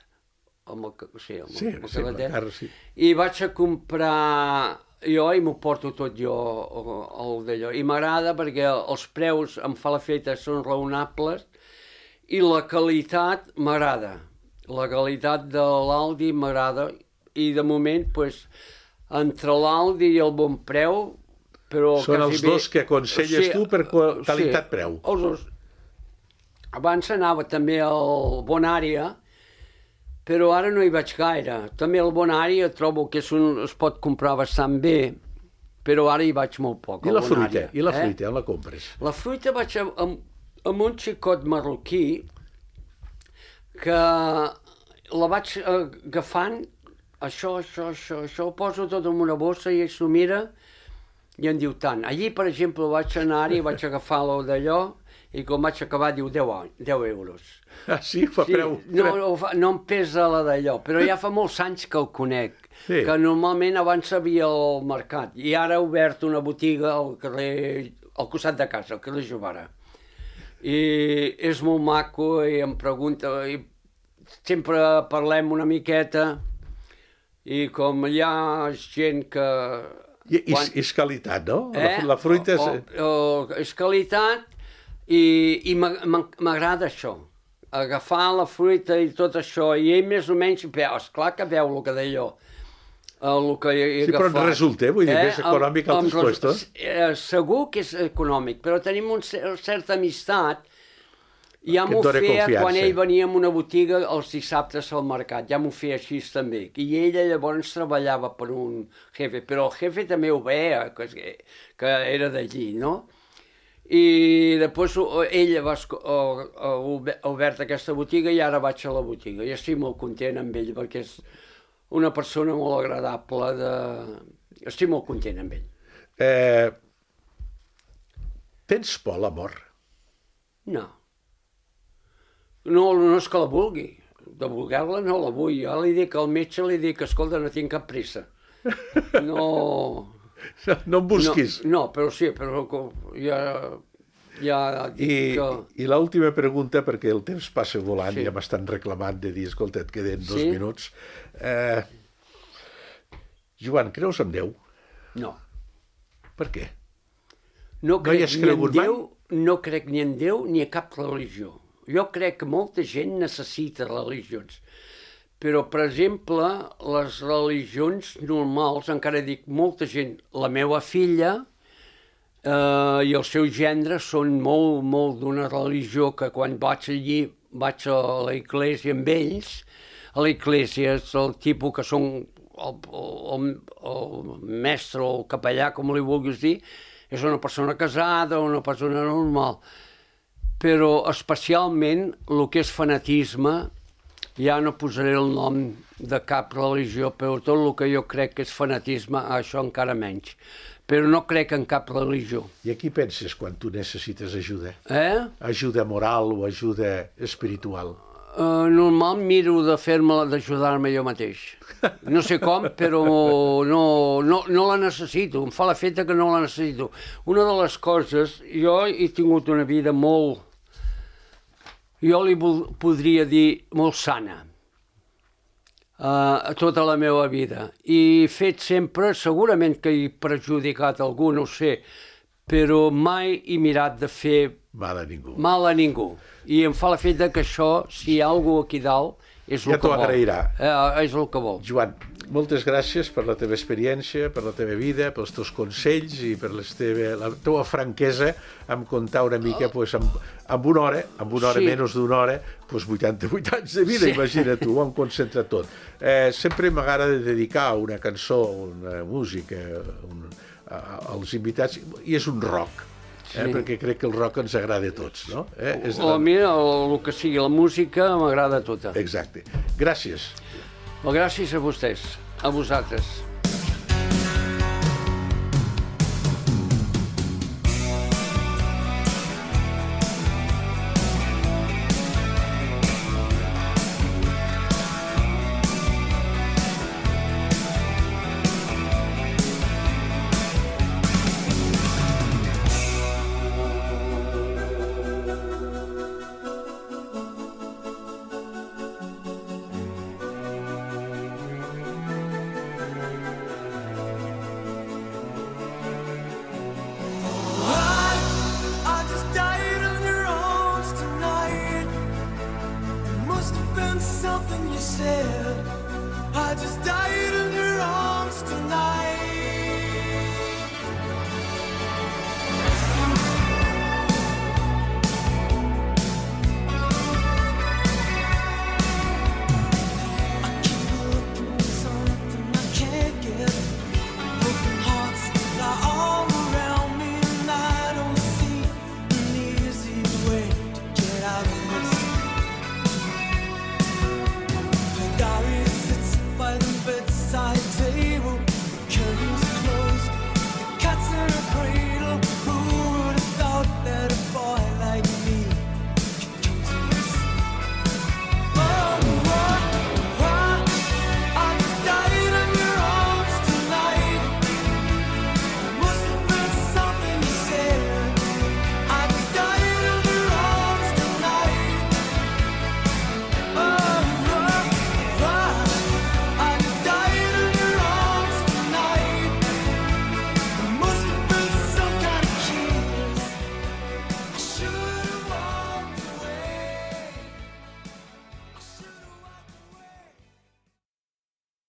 I vaig a comprar jo i m'ho porto tot jo d'allò. I m'agrada perquè els preus em fa l'efecte, són raonables i la qualitat m'agrada. La qualitat de l'Aldi m'agrada i de moment, entre l'Aldi i el Bon Preu, però Són els dos que aconselles tu per qualitat-preu. Els dos. Abans anava també al Bonària, però ara no hi vaig gaire. També al Bonària trobo que es pot comprar bastant bé, però ara hi vaig molt poc. I la fruita? I la fruita, on la compres? La fruita vaig amb un xicot marroquí que la vaig agafant, això, ho poso tot en una bossa i ell s'ho mira i em diu tant. Allí, per exemple, vaig anar-hi, vaig agafar-lo d'allò i quan vaig acabar diu 10 euros. Ah, sí? Fa preu? No em pesa la d'allò, però ja fa molts anys que el conec, que normalment abans havia al mercat i ara ha obert una botiga al carrer, al costat de casa, al carrer Jovara. I és molt maco i em pregunta, i sempre parlem una miqueta i com hi ha gent que... És qualitat, no? La fruita és qualitat i m'agrada això, agafar la fruita i tot això, i ell més o menys, esclar que veu el que d'allò, el que he agafat. Sí, però en resulta, vull dir, és econòmic altres puestos. Segur que és econòmic, però tenim una certa amistat. Ja m'ho feia quan ell venia a una botiga els dissabtes al mercat, ja m'ho feia així també. I ella llavors treballava per un jefe, però el jefe també ho veia, que era d'allí, no? I després ella ha obert aquesta botiga i ara vaig a la botiga. I estic molt content amb ell perquè és una persona molt agradable. Estic molt content amb ell. Tens por a la mort? No. No és que la vulgui. De voler-la no la vull. Jo li dic al metge, escolta, no tinc cap pressa. No em busquis. No, però sí, però ja dic que... I l'última pregunta, perquè el temps passa volant i ja m'estan reclamant de dir, escolta, et queden 2 minuts. Joan, creus en Déu? No. Per què? No crec ni en Déu ni a cap religió. Jo crec que molta gent necessita religions, però, per exemple, les religions normals, encara dic, molta gent, la meva filla i el seu gendre són molt d'una religió que quan vaig allí, vaig a la iglesia amb ells, a la iglesia és el tipus que són el mestre o el capellà, com li vulguis dir, és una persona casada, una persona normal. Però especialment el que és fanatisme, ja no posaré el nom de cap religió, però tot el que jo crec que és fanatisme, això encara menys. Però no crec en cap religió. I a qui penses quan tu necessites ajuda? Ajuda moral o ajuda espiritual? Normal miro d'ajudar-me jo mateix. No sé com, però no la necessito. Em fa l'efecte que no la necessito. Una de les coses, jo he tingut una vida molt... Jo li podria dir molt sana, tota la meva vida. I he fet sempre, segurament que he perjudicat algú, no ho sé, però mai he mirat de fer mal a ningú. I em fa l'efecte que això, si hi ha algú aquí dalt, és el que vol. Ja t'ho agrairà. És el que vol. Joan, moltes gràcies per la teva experiència, per la teva vida, pels teus consells i per la teva franquesa en contar una mica amb una hora, menys d'una hora, 88 anys de vida, imagina't tu, ho hem concentrat tot. Sempre m'agrada dedicar una cançó, una música als invitats, i és un rock. Perquè crec que el rock ens agrada a tots, no? A mi, el que sigui la música, m'agrada tota. Exacte. Gràcies. Gràcies a vostès, a vosaltres. Something you said, I just died in your arms tonight.